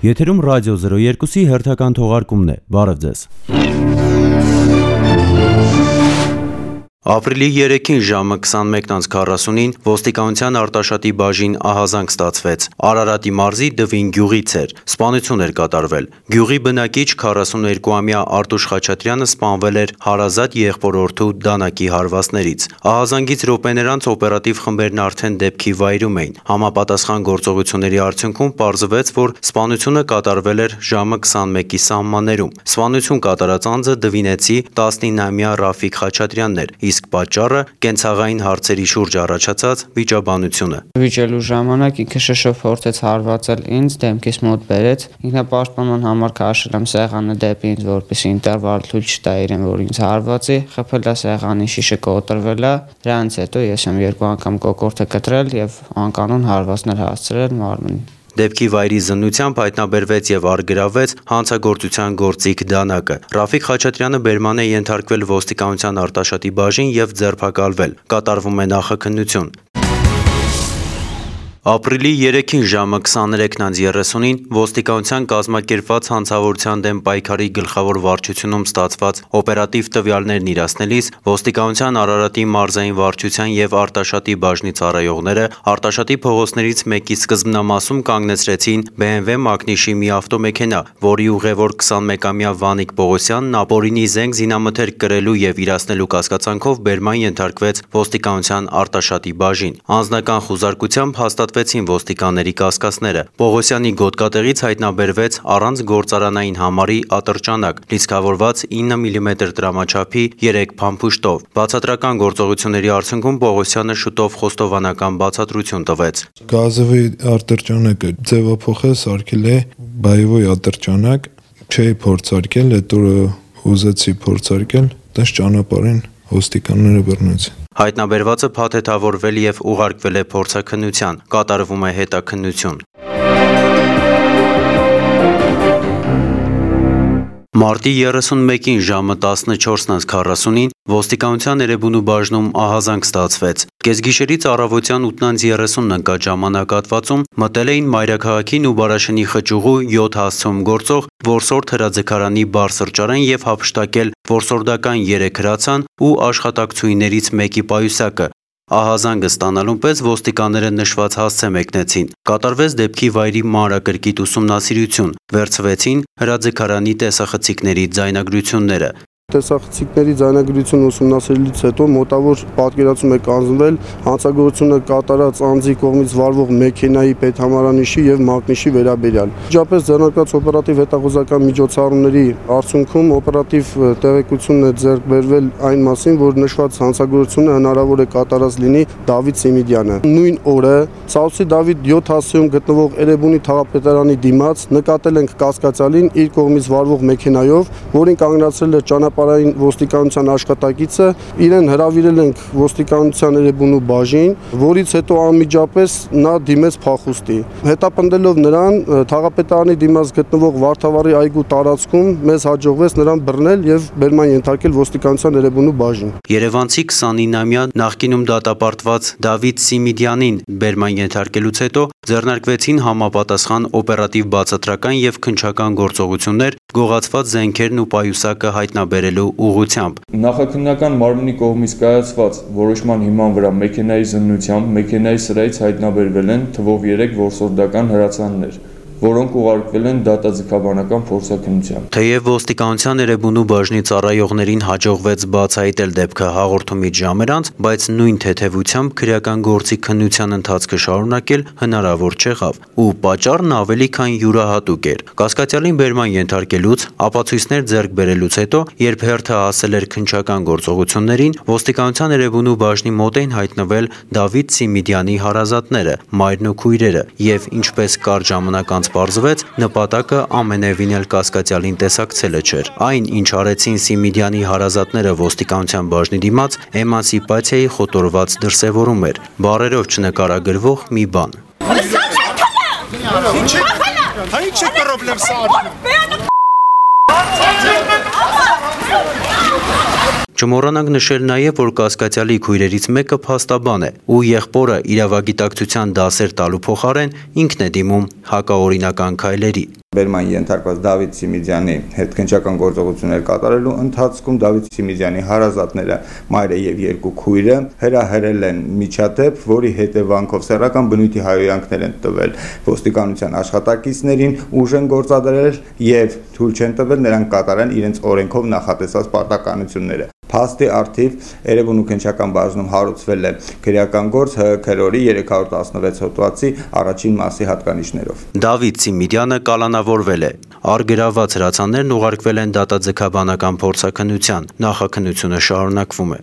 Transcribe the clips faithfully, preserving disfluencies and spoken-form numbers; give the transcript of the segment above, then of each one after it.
Եթերում ռադիո զրո երկուսի հերթական թողարկումն է, բարև ձեզ։ Ապրիլի երեքին ժամը քսանմեկն քառասունին ոստիկանության Արտաշատի բաժին ահազանգ ստացվեց։ Արարատի մարզի Դվին գյուղից էր։ Սպանություն էր կատարվել։ Գյուղի բնակիչ քառասուներկուամյա Արտուշ Խաչատրյանը սպանվել էր հարազատ եղբորորդու դանակի հարվածներից։ Ահազանգից րոպեներ անց օպերատիվ խմբերն արդեն դեպքի վայրում էին։ Համապատասխան գործողությունների արդյունքում պարզվեց, որ սպանությունը կատարվել էր ժամը քսանմեկի սահմաններում։ Սպանություն կատարած անձը դվինեցի տասնինամյա Ռաֆիկ Խաչատրյանն էր, իսկ պատճառը կենցաղային հարցերի շուրջ առաջացած վիճաբանությունը։ Վիճելու ժամանակ ինքը շշով փորձեց հարվածել ինձ, դեմքիս մոտ բերեց, ինքնապաշտպանման համար քաշել եմ սեղանը դեպի ինձ, որպեսզի ինտերվալ թույլ չտա իրեն, որ ինձ հարվածի, խփել է սեղանի շիշը կոտրվել է, դրանից հետո ես եմ երկու անգամ կոկորտը կտրել եւ անկանոն հարվածներ հասցրել մարմնին։ Դեպքի վայրի զննությամբ հայտնաբերվեց եւ առգրավվեց հանցագործության գործիք դանակը։ Ռաֆիկ Խաչատրյանը բերման է ենթարկվել ոստիկանության Արտաշատի բաժին եւ ձերբակալվել։ Կատարվում է նախաքննություն։ Ապրիլի երեքին ժամը քսաներեքն երեսունին ոստիկանության կազմակերպված հանցավորության դեմ պայքարի գլխավոր վարչությունում ստացված օպերատիվ տվյալներն իրացնելիս ոստիկանության Արարատի մարզային վարչության եւ Արտաշատի բաժնի ծառայողները Արտաշատի փողոցներից մեկի սկզբնամասում կանգնեցրեցին B M W մակնիշի մի ավտոմեքենա, որի ուղևոր քսանմեկամյա Վանիկ Պողոսյանն ապօրինի զենք զինամթերք կրելու եւ իրացնելու կասկածանքով բերման ենթարկվեց ոստիկանության Արտաշատի բաժին։ Անձնական խուզարկությամբ հաստատ ոստիկանների կասկածները։ Պողոսյանի գոտկատեղից հայտնաբերվեց առանց գործարանային համարի ատրճանակ, լիցքավորված ինը միլիմետր տրամաչափի երեք փամփուշտով։ Բացատրական գործողությունների արդյունքում Պողոսյանը շուտով խոստովանական բացատրություն տվեց։ Գազովի ատրճանակը ձևափոխել սարքել է բայովի ատրճանակ, չէի փորձարկել, հետո ուզեցի փորձարկել, դες ճանապարհին ոստիկանները բռնեցին։ Հայտնաբերվածը փաթեթավորվել եւ ուղարկվել է փորձաքննության, կատարվում է հետաքննություն։ Մարտի երեսունմեկին ժամը տասնչորսն քառասունին ոստիկանության Էրեբունու բաժնում ահազանգ ստացվեց։ Կեսգիշերից առավոտյան ութն երեսունն ընկած ժամանակահատվածում մտել էին Մայրաքաղաքին ու Բարաշենի խճուղու յոթ հասցում գործող որսորդ հրաձգարանի բար սրճարան եւ հափշտակել որսորդական երեք հրացան ու աշխատակցուհիներից մեկի պայուսակը։ Ահազանգը ստանալուն պես ոստիկանները նշված հասցե մեկնեցին։ Կատարվեց դեպքի վայրի մանրակրկիտ ուսումնասիրություն, վերցվեցին հրաձգարանի տեսախցիկների ձայնագրությունները։ Տեսախցիկների ձայնագրությունը ուսումնասիրելուց հետո մոտավոր պատկերացում է կազմվել հանցագործությունը կատարած անձի կողմից վարվող մեքենայի պետհամարանիշի եւ մակնիշի վերաբերյալ։ Միջապես ձեռնարկած օպերատիվ հետախուզական միջոցառումների արդյունքում օպերատիվ տեղեկությունն է ձեռք բերվել այն մասին, որ նշված հանցագործությունը հնարավոր է կատարած լինի Դավիթ Սիմիդյանը։ Նույն օրը Սաուսի Դավիթ յոթ հասցեում գտնվող Էրեբունի թաղապետարանի դիմաց նկատել ենք կասկածալին իր կողմից վարվող մեքենայով, որին կանգնացրել է ճանապարհային ոստիկանության աշխատակիցը, իրեն հրավիրել ենք ոստիկանության Էրեբունու բաժին, որից հետո անմիջապես նա դիմեց փախուստի։ Հետապնդելով նրան թաղապետարանի դիմաց գտնվող Վարդավառի այգու տարածքում մեզ հաջողվեց նրան բռնել եւ բերման ենթարկել ոստիկանության Էրեբունու բաժին։ Երևանցի քսանինամյա նախկինում դատապարտված Դավիթ Սիմիդյանին բերման ենթարկելուց հետո ձեռնարկվեցին համապատասխան օպերատիվ բացատրական եւ քննչական գործողություններ գողացված զենքերն ու պայուսակը հայտնաբերելու ուղղությամբ։ Նախաքննական մարմնի կողմից կայացված որոշման հիման վրա մեքենայի զննությամբ մեքենայի սրահից հայտնաբերվել են թվով երեք որսորդական հրացաններ, որոնք ուղարկվել են դատաձգաբանական փորձաքննության։ Թեև ոստիկանության Էրեբունու բաժնի ծառայողներին հաջողվեց բացահայտել դեպքը հաղորդումից ժամեր անց, բայց նույն թեթևությամբ քրեական գործի քննության ընթացքը շարունակել հնարավոր չեղավ, ու պատճառն ավելի քան յուրահատուկ էր։ Կասկածյալին բերման ենթարկելուց, ապացույցներ ձեռք բերելուց հետո, երբ հերթը հասել էր քննչական գործողություններին, ոստիկանության Էրեբունու բաժնի մոտ էին հայտնվել Դավիթ Սիմիդյանի հարազատները, մայրն ու քույրերը, եւ ինչպես կարճ ժամանակ անց պարզվեց, նպատակը ամենևին էլ կասկածյալին տեսակցելը չէր։ Այն, ինչ արեցին Սիմիդյանի հարազատները ոստիկանության բաժնի դիմաց, էմանսիպացիայի խոտորված դրսևորում էր, բառերով չնկարագրվող մի բան։ Չմոռանանք նշել նաև, որ կասկածյալի քույրերից մեկը փաստաբան է ու եղբորը իրավագիտակցության դասեր տալու փոխարեն ինքն է դիմում հակաօրինական քայլերի։ Բերման ենթարկված Դավիթ Սիմիդյանի հետ քննչական գործողություններ կատարելու ընթացքում Դավիթ Սիմիդյանի հարազատները, մայրը եւ երկու քույրը հրահրել են միջադեպ, որի հետևանքով սեռական բնույթի հայհոյանքներ են տվել ոստիկանության աշխատակիցներին, ուժ են գործադրել եւ թույլ չեն տվել նրանք կատարեն իրենց օրենքով նախատեսած պարտականությունները։ Փաստի առթիվ Երևան ու քննչական բաժնում հարուցվել է քրեական գործ Հ քրորի երեք հարյուր տասնվեց հոդվածի առաջին մասի հատկանիշներով։ Դավիթ Սիմիդյանը կալանավորվել է։ Առգրաված հրացաններն ուղարկվել են դատաձգաբանական փորձաքննության։ Նախաքննությունը շարունակվում է։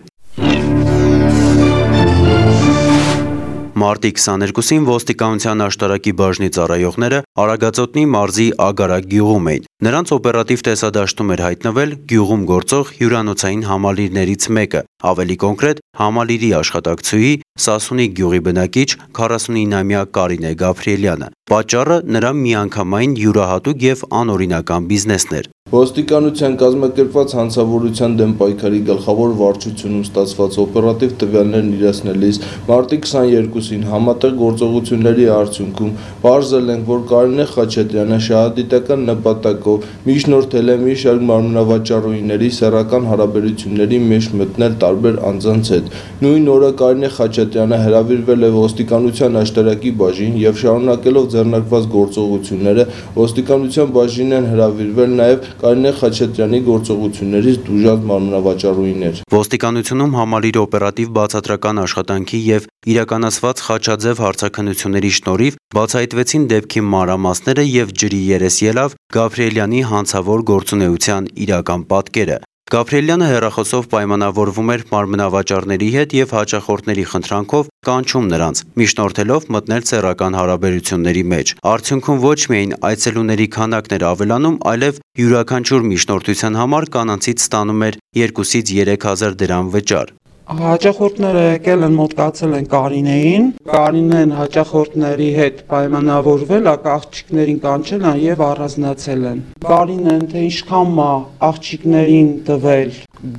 Մարտի քսաներկուսին ոստիկանության աշտարակի բաժնի ծառայողները Արագածոտնի մարզի Ագարակ գյուղում էին։ Նրանց օպերատիվ տեսադաշտում էր հայտնվել գյուղում գործող հյուրանոցային համալիրներից մեկը, ավելի կոնկրետ համալիրի աշխատակցուհի Սասունիկ գյուղի բնակիչ քառասունինամյա Կարինե Գաբրիելյանը։ Պատճառը նրա միանգամայն յուրահատուկ եւ անօրինական բիզնեսն էր։ Ոստիկանության կազմակերպված հանցավորության դեմ պայքարի գլխավոր վարչությունում ստացված օպերատիվ տվյալներն իրացնելիս մարտի քսաներկուսին համատեղ գործողությունների արդյունքում պարզել ենք, որ Կարինե Խաչատրյանը շահադիտական նպատակով միջնորդել է մի շարք մարմնավաճառուհիների սեռական հարաբերությունների մեջ մտնել տարբեր անձանց հետ։ Նույն օրը Կարինե Խաչատրյանը հրավիրվել է ոստիկանության աշտարակի բաժին եւ շարունակելով ձեռնարկված գործողությունները ոստիկանության բաժին են հրավիրվել նաեւ Կարինե Խաչատրյանի գործողություններից դժուժած մարմնավաճառուհիներ։ Ոստիկանությունում համալիրի օպերատիվ բացատրական աշխատանքի եւ իրականացված խաչաձև հարցաքննությունների շնորհիվ բացահայտվեցին դեպքի մանրամասները եւ ջրի երես ելավ Գաբրիելյանի հանցավոր գործունեության իրական պատկերը։ Գաբրիելյանը հեռախոսով պայմանավորվում էր մարմնավաճառների հետ եւ հաճախորդների խնդրանքով կանչում նրանց, միջնորդելով մտնել սեռական հարաբերությունների մեջ։ Արդյունքում ոչ միայն այցելուների քանակն էր ավելանում, այլև յուրաքանչյուր միջնորդության համար կանանցից ստանում էր երկուսից երեք հազար դրամ վճար։ Հաճախորդները եկել են մոտկացել են Կարինեին, Կարինեն հաճախորդների հետ պայմանավորվել, աղջիկներին կանչել են եւ առանձնացել են։ Կարինեն թե ինչքան մա աղջիկներին տվել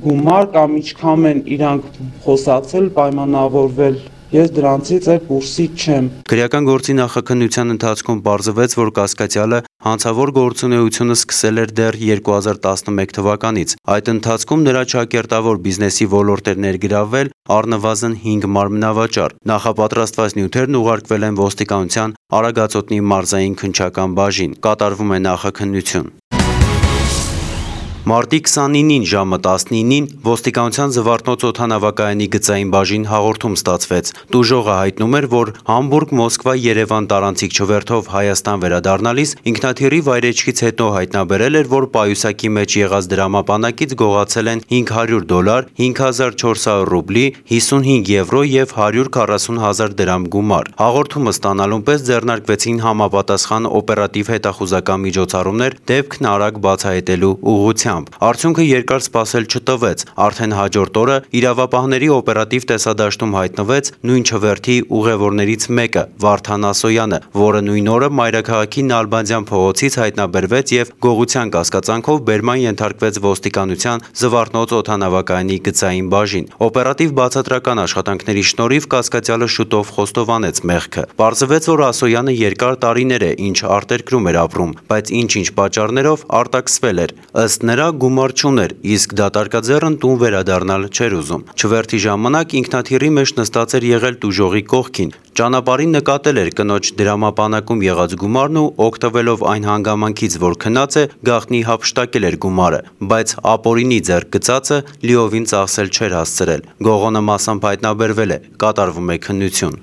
գումար կամ ինչքան են իրանք խոսացել, պայմանավորվել։ Ես դրանցից է կուրսի չեմ։ Քրեական գործի նախաքննության ընթացքում պարզվեց, որ կասկածյալը հանցավոր գործունեությունը սկսել էր դեռ երկու հազար տասնմեկ թվականից։ Այդ ընթացքում նրա ճակերտավոր բիզնեսի ոլորտ էր ներգրավվել առնվազն հինգ մարմնավաճառ։ Նախապատրաստված նյութերն ուղարկվել են ոստիկանության Արագածոտնի մարզային քննչական բաժին։ Կատարվում է նախաքննություն։ Մարտի քսանինին ժամը տասնինին ոստիկանության Զվարթնոց օդանավակայանի գծային բաժին հաղորդում ստացվեց։ Տուժողը հայտնում էր, որ Համբուրգ-Մոսկվա-Երևան տարանցիկ չվերթով Հայաստան վերադառնալիս ինքնաթիռի վայրեջքից հետո հայտնաբերել էր, որ պայուսակի մեջ եղած դրամապանակից գողացել են հինգ հարյուր դոլար, հինգ հազար չորս հարյուր ռուբլի, հիսունհինգ եվրո եւ հարյուր քառասուն հազար դրամ գումար։ Հաղորդումը ստանալուն պես ձեռնարկվեցին համապատասխան օպերատիվ հետախուզական միջոցառումներ դեպքն արագ բացահայտելու ուղղությամբ։ Արդյունքը երկար սպասել չտվեց, արդեն հաջորդ օրը իրավապահների օպերատիվ տեսադաշտում հայտնվեց նույն չվերթի ուղևորներից մեկը, Վարդան Ասոյանը, որը նույն օրը Մայրաքաղաքի Նալբանդյան փողոցից հայտնաբերվեց եւ գողության կասկածանքով բերման ենթարկվեց ոստիկանության Զվարթնոց օդանավակայանի գծային բաժին։ Օպերատիվ բացատրական աշխատանքների շնորհիվ կասկածյալը շուտով խոստովանեց մեղքը։ Պարզվեց, որ Ասոյանը երկար տարիներ է ինչ արտերկրում էր ապրում, բայց ինչ-ինչ պատճառներով արտաքսվել էր։ Ըստ նրա գումար չուներ, իսկ դատարկաձեռն տուն վերադառնալ չէր ուզում։ Չվերթի ժամանակ ինքնաթիռի մեջ նստած էր եղել տուժողի կողքին։ Ճանապարհին նկատել էր կնոջ դրամապանակում եղած գումարն ու օգտվելով այն հանգամանքից, որ քնած է, գաղտնի հափշտակել էր գումարը, բայց ապօրինի ձեռք գծածը լիովին ծախսել չէր հասցրել։ Գողոնը մասամբ հայտնաբերվել է, կատարվում է քննություն։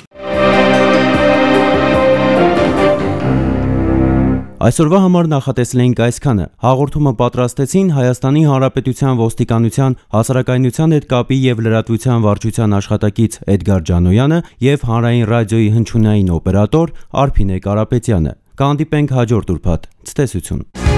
Այսօրվա համար նախատեսել էինք այսքանը։ Հաղորդումը պատրաստեցին Հայաստանի Հանրապետության ոստիկանության հասարակայնության հետ կապի եւ լրատվության վարչության աշխատակից Էդգար Ջանոյանը եւ Հանրային ռադիոյի հնչյունային օպերատոր Արփինե Կարապետյանը։ Կհանդիպենք հաջորդ ուրբաթ։ Ցտեսություն։